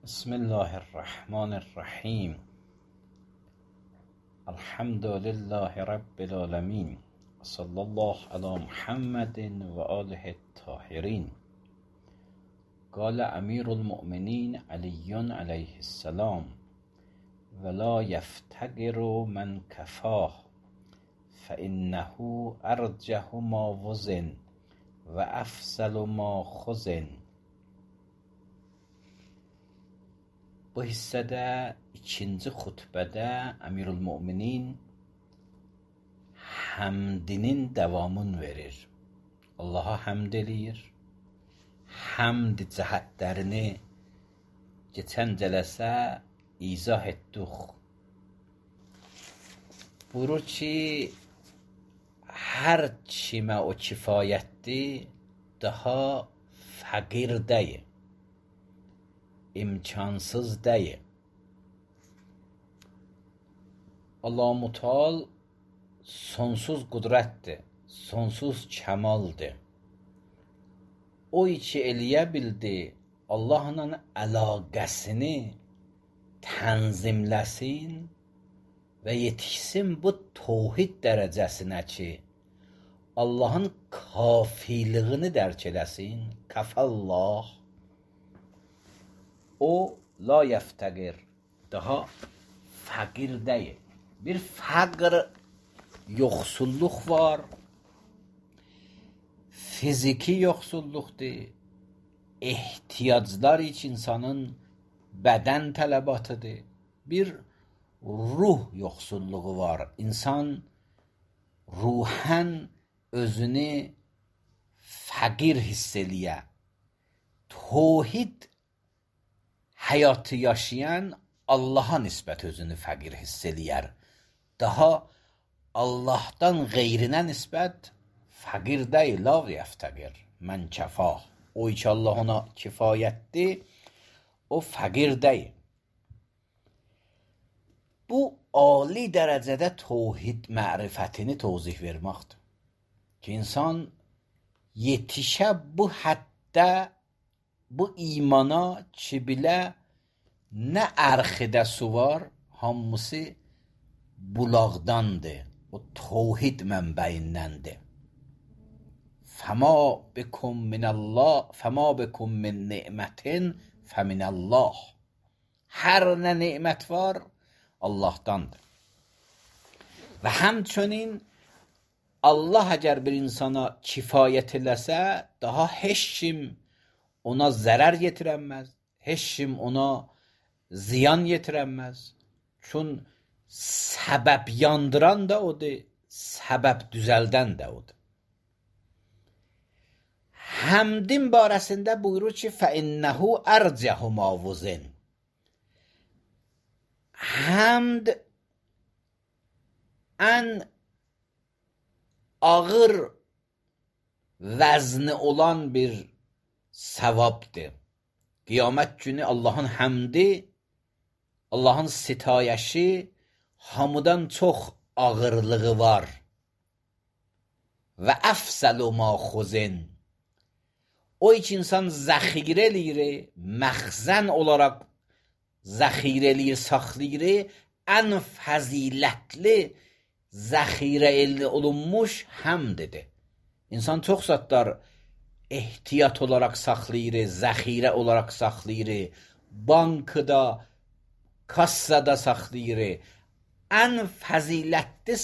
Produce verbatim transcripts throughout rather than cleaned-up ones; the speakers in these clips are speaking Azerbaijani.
بسم الله الرحمن الرحیم. الحمد لله رب العالمین و صلی الله علی محمد و آله الطاهرین. قال امیر المؤمنین علی علیه السلام: ولا یفتقر من کفاه فانه ارجح ما وزن و افضل ما خزن. Bu hissədə ikinci xutbədə Əmirülmöminin həmdinin davamını verir. Allaha həmd eləyir. Həmd cəhətlərini keçən cələsə izah etdik. Buyurur ki, hər kimə o kifayətdir, daha fəqir deyil, imkansız deyil. Allah Mutal sonsuz qüdrətdir, sonsuz kəmaldır. O ki eləyə bildi, Allahla əlaqəsini tənzimləsin və yetişsin bu təvhid dərəcəsinə ki, Allahın kafiliyini dərk eləsin. Kəfəllah. O la yəftəqir, daha fəqir deyil. Bir fəqr, yoxsulluq var, fiziki yoxsulluqdur, ehtiyaclar iç insanın bədən tələbatıdır. Bir ruh yoxsulluğu var. İnsan ruhən özünü fəqir hiss eləyə. Təvhid həyatı yaşayan Allaha nisbət özünü fəqir hiss eləyər. Daha Allahdan qeyrinə nisbət fəqir deyil, la yəftəqir mən kəfah. O ki Allah ona kifayətdir, o fəqir deyil. Bu ali dərəcədə təvhid mərifətini təvzih verməkdir. Ki insan yetişə bu həddə, bu imana ki bilə nə ərxidə su var, hamısı bulaqdandır. O təvhid mənbəyindəndir. Fəma bikum minəllah, fəma bikum min ni'mətin fəminəllah. Hər nə nimət var, Allahdandır. Və həmçinin Allah əgər bir insana kifayət eləsə, daha heç kim ona zərər yetirənməz, heç kim ona ziyan yetirənməz. Çün səbəb yandıran da odur, səbəb düzəldən də odur. Həmdin barəsində buyurur ki, فَإِنَّهُ أَرْجَحُ مَا وُزِنْ. Həmd ən ağır vəzni olan bir savabdır. Qiyamət günü Allahın həmdi, Allahın sitayəşi hamıdan çox ağırlığı var. Və əfsəlu ma xuzin. O ki insan zəxirə eləyir, məxzən olaraq zəxirə eləyir, saxlayır, ən fəzilətli zəxirə əldə olunmuş həmdidir. İnsan çox zatlar ehtiyat olaraq saxlayır, zəxirə olaraq saxlayır, bankada, kassada saxlayır. Ən fəzilətli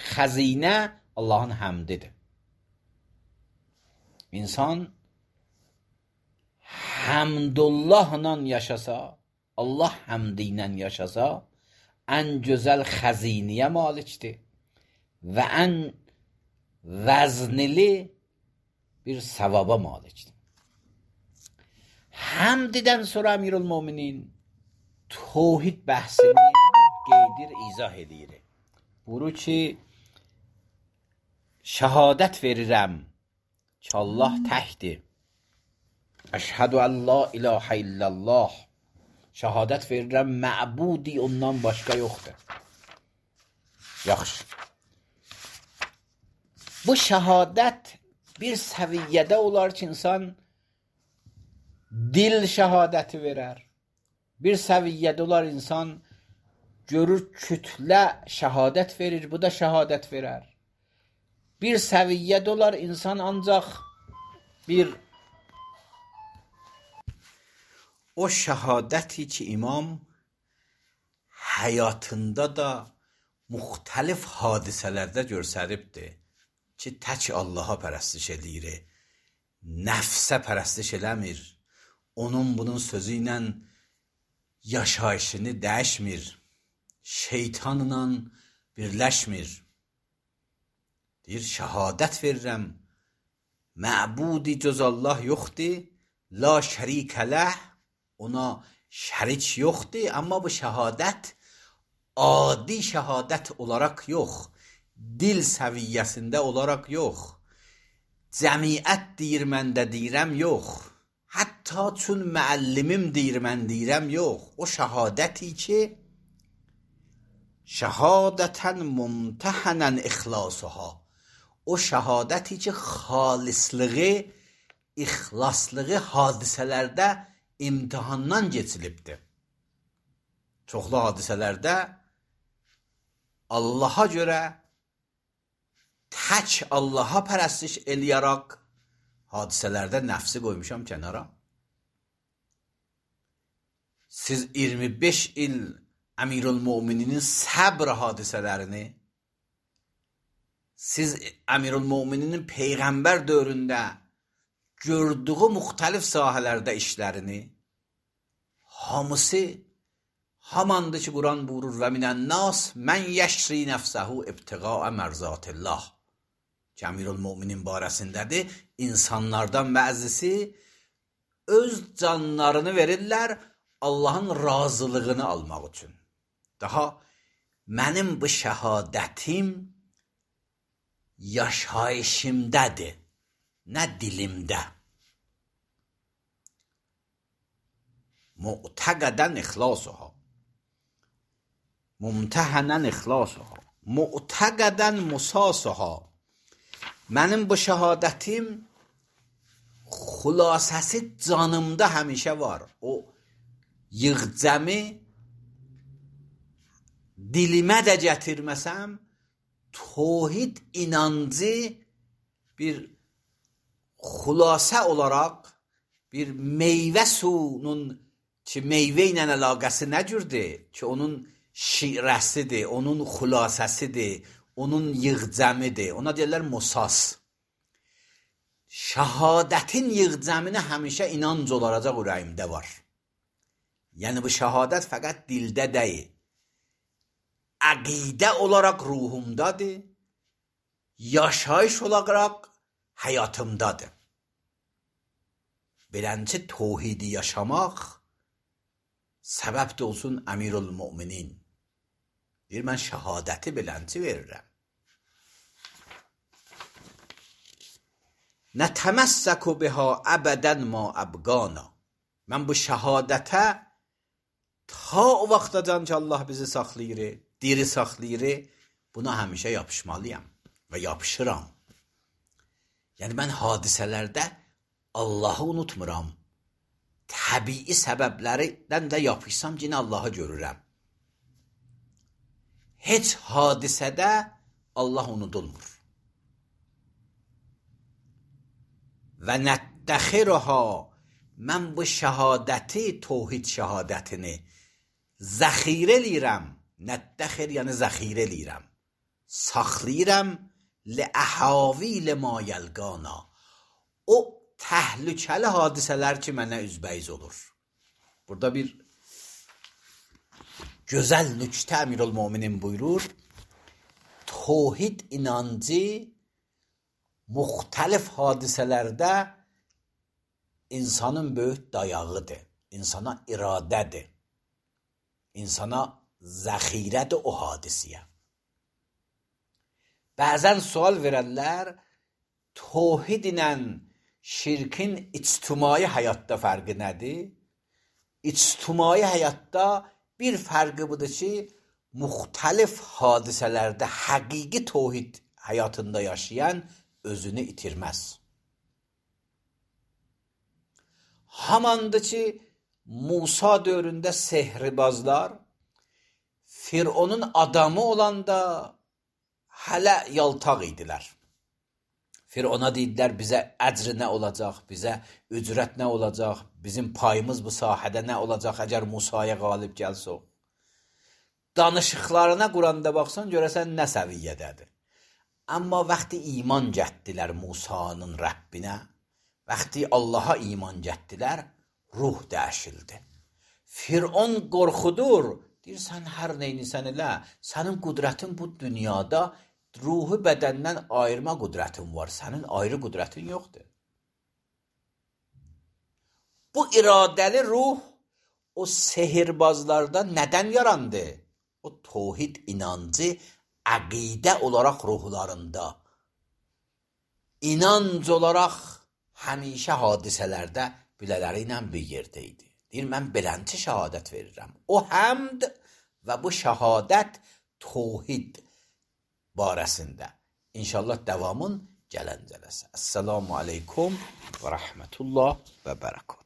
xəzinə Allahın həmdidir. İnsan həmdullahla yaşasa, Allah həmdi ilə yaşasa, ən gözəl xəzinəyə malikdir və ən vəznili bir savaba malikdir. Həmdidən sonra Əmirülmöminin təvhid bəhsini qeydir, izah edir. Buyurur ki, şəhadət verirəm ki, Allah təkdir. Əşhədü ən la ilahə illallah. Şəhadət verirəm, məbudi ondan başqa yoxdur. Yaxşı. Bu şəhadət bir səviyyədə olar ki, insan dil şəhadəti verər, Bir səviyyədə olar insan görür kütlə şəhadət verir, bu da şəhadət verər. Bir səviyyədə olar insan ancaq bir o şəhadəti ki imam həyatında da müxtəlif hadisələrdə göstəribdir ki, tək Allaha pərəstiş edir, nəfsə pərəstiş eləmir, onun bunun sözü ilə yaşayışını dəyişmir, şeytanla birləşmir. Deyir, şəhadət verirəm, məbudi cöz Allah yoxdur, la şərikə ləh, ona şərik yoxdur, amma bu şəhadət adi şəhadət olaraq yox, dil səviyyəsində olaraq yox, cəmiyyət deyir mən də deyirəm yox, hətta çün müəllimim deyir mən deyirəm yox, o şəhadəti ki, şəhadətən mumtəhənən ixlasıha, o şəhadəti ki, xalislığı, ixlaslığı hadisələrdə imtihandan geçilibdir. Çoxlu hadisələrdə Allaha görə tək Allaha pərəstiş eləyərək hadisələrdə nəfsi qoymuşam kənara. Siz iyirmi beş il Əmirül-Mömininin səbr hadisələrini, siz Əmirül-Mömininin Peyğəmbər dövründə gördüyü müxtəlif sahələrdə işlərini, hamısı hamandı ki, Quran buyurur və minən nas mən yəşri nəfsəhu ibtiqaə mərzatillah. Ki, Əmirül-Möminin barəsindədir. İnsanlardan bəzisi öz canlarını verirlər Allahın razılığını almaq üçün. Daha mənim bu şəhadətim yaşayışımdadır, nə dilimdə. Mu'təqədən ixlasıha, mumtəhənən ixlasıha, mu'təqədən musasıha. Mənim bu şəhadətim xülasəsi canımda həmişə var. O yığcəmi dilimə də gətirməsəm, tohid inancı bir xülasə olaraq, bir meyvə suyunun ki, meyvə ilə əlaqəsi nə cürdür? Ki, onun şirəsidir, onun xülasəsidir, onun yığcəmidir. Ona deyirlər musas. Şəhadətin yığcəminə həmişə inanc olacaq ürəyimdə var. Yəni, bu şəhadət fəqət dildə deyil. Əqidə olaraq ruhumdadır, yaşayış olaraq həyatımdadır. Beləncə tohidi yaşamaq səbəb də olsun Əmirül-Möminin. Deyir, mən şəhadəti beləncə verirəm. Nətəməssəku biha əbədən ma əbqana. Mən bu şəhadətə ta o vaxtacan ki, Allah bizi saxlayır, diri saxlayır, buna həmişə yapışmalıyam və yapışıram. Yəni, mən hadisələrdə Allahı unutmuram. Təbii səbəblərdən də yapışsam, yine Allahı görürəm. Heç hadisədə Allah unudulmur. Və nəttəxirəha, mən bu şəhadəti, tohid şəhadətini zəxirə eləyirəm. Nəttəxir, yəni zəxirə eləyirəm. Saxlayıram ləəhəvilə ma yəlqana. O təhlükəli hadisələr ki, mənə üzbəyiz olur. Burada bir gözəl nüktə Əmirül-Möminin buyurur. Tohid inancı müxtəlif hadisələrdə insanın böyük dayağıdır. İnsana iradədir. İnsana zəxirədir o hadisiyə. Bəzən sual verənlər tohid ilə şirkin ictimai həyatda fərqi nədir? İctimai həyatda bir fərqi budur ki, müxtəlif hadisələrdə həqiqi tohid həyatında yaşayan özünü itirməz. Hamandır ki, Musa dövründə sehribazlar Fironun adamı olanda hələ yaltaq idilər. Firona dedilər, bizə əcr nə olacaq, bizə ücrət nə olacaq, bizim payımız bu sahədə nə olacaq əgər Musaya qalib gəlsək. Danışıqlarına Quranda baxsan, görəsən nə səviyyədədir. Amma vaxtı iman gətdilər Musanın Rəbbinə, vaxtı Allaha iman gətdilər, ruh dəyişildi. Firon qorxudur, deyir, sən hər neynisən elə, sənin qudrətin bu dünyada ruhu bədəndən ayırma qudrətin var, sənin ayrı qudrətin yoxdur. Bu iradəli ruh o sehirbazlarda nədən yarandı? O tohid inancı əqidə olaraq ruhlarında, inanc olaraq həmişə hadisələrdə bilələri ilə bir yerdə idi. Deyir, mən belənçi şəhadət verirəm. O həmd və bu şəhadət tohid barəsində. İnşallah davamın gələn cələsə. Əssalamu aleykum və rəhmətullah və bərəkət.